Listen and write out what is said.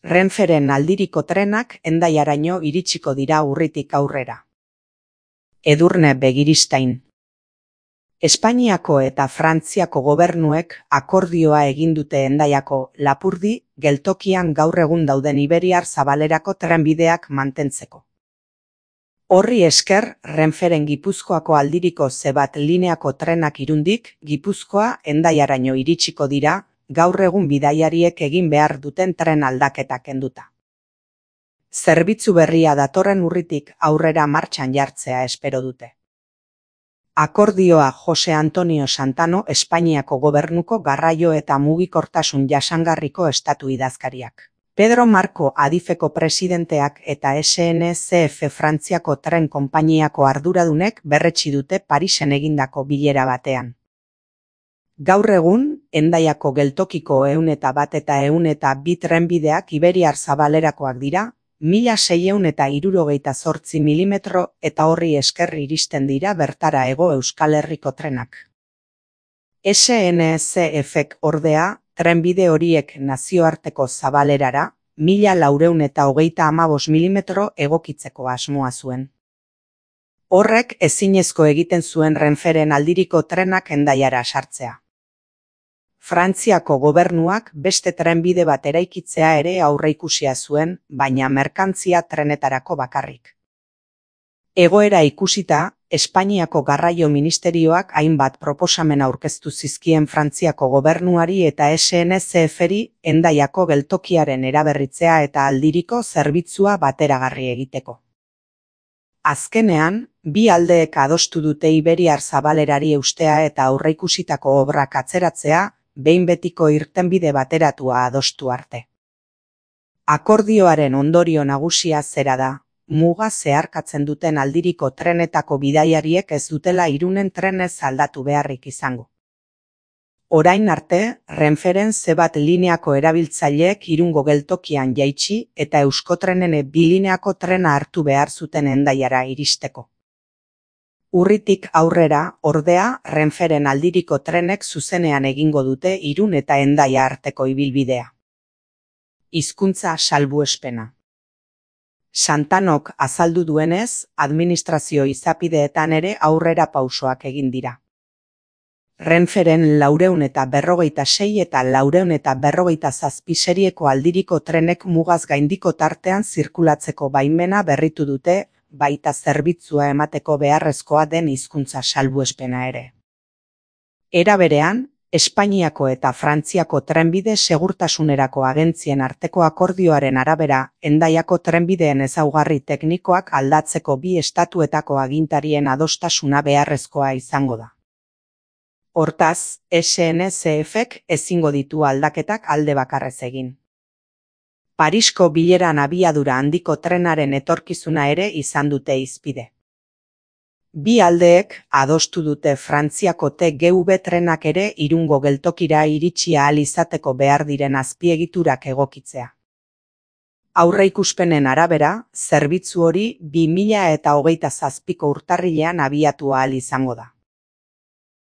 Renferen aldiriko trenak Hendaiaraino iritsiko dira urritik aurrera. Edurne Begiristain. Espainiako eta Frantziako gobernuek akordioa egin dute Hendaiako Lapurdi geltokian gaur egun dauden iberiar zabalerako trenbideak mantentzeko. Horri esker, Renferen Gipuzkoako aldiriko C1 lineako trenak Irundik, Gipuzkoa Hendaiaraino iritsiko dira, gaur egun bidaiariek egin behar duten tren aldaketa kenduta. Zerbitzu berria datorren urritik aurrera martxan jartzea espero dute. Akordioa Jose Antonio Santano Espainiako gobernuko garraio eta mugikortasun jasangarriko estatu idazkariak. Pedro Marco Adifeko presidenteak eta SNCF Frantziako tren konpainiako arduradunek berretsi dute Parisen egindako bilera batean. Gaur egun, Hendaiako geltokiko 101 eta 102 trenbideak iberiar zabalerakoak dira, 1678 milimetro eta horri esker iristen dira bertara Hego Euskal Herriko trenak. SNCFek ordea, trenbide horiek nazioarteko zabalerara, 1435 milimetro egokitzeko asmoa zuen. Horrek ezinezko egiten zuen Renferen aldiriko trenak Hendaiara sartzea. Frantziako gobernuak beste trenbide bat eraikitzea ere aurreikusia zuen, baina merkantzia trenetarako bakarrik. Egoera ikusita, Espainiako garraio ministerioak hainbat proposamen aurkeztu zizkien Frantziako gobernuari eta SNCFri Hendaiako geltokiaren eraberritzea eta aldiriko zerbitzua bateragarri egiteko. Azkenean, bi aldeek adostu dute iberiar zabalerari eustea eta aurreikusitako obrak atzeratzea, behin betiko irtenbide bateratua adostu arte. Akordioaren ondorio nagusia zera da, muga zeharkatzen duten aldiriko trenetako bidaiariek ez dutela Irunen trenez aldatu beharrik izango. Orain arte, Renferen C1 lineako erabiltzaileek Irungo geltokian jaitsi eta Euskotrenen B lineako trena hartu behar zuten Hendaiara iristeko. Urritik aurrera, ordea, Renferen aldiriko trenek zuzenean egingo dute Irun eta Hendaia arteko ibilbidea. Hizkuntza salbuespena. Santanok azaldu duenez, administrazio izapideetan ere aurrera pausoak egin dira. Renferen 456 eta 457 serieko aldiriko trenek mugaz gaindiko tartean zirkulatzeko baimena berritu dute, baita zerbitzua emateko beharrezkoa den hizkuntza salbuespena ere. Era berean, Espainiako eta Frantziako trenbide segurtasunerako agentzien arteko akordioaren arabera, Hendaiako trenbideen ezaugarri teknikoak aldatzeko bi estatuetako agintarien adostasuna beharrezkoa izango da. Hortaz, SNCFek ezingo ditu aldaketak alde bakarrez egin. Parisko bileran abiadura handiko trenaren etorkizuna ere izan dute hizpide. Bi aldeek adostu dute Frantziako TGV trenak ere Irungo geltokira iritsi ahal izateko behar diren azpiegiturak egokitzea. Aurreikuspenen arabera, zerbitzu hori 2027ko urtarrilean abiatu ahal izango da.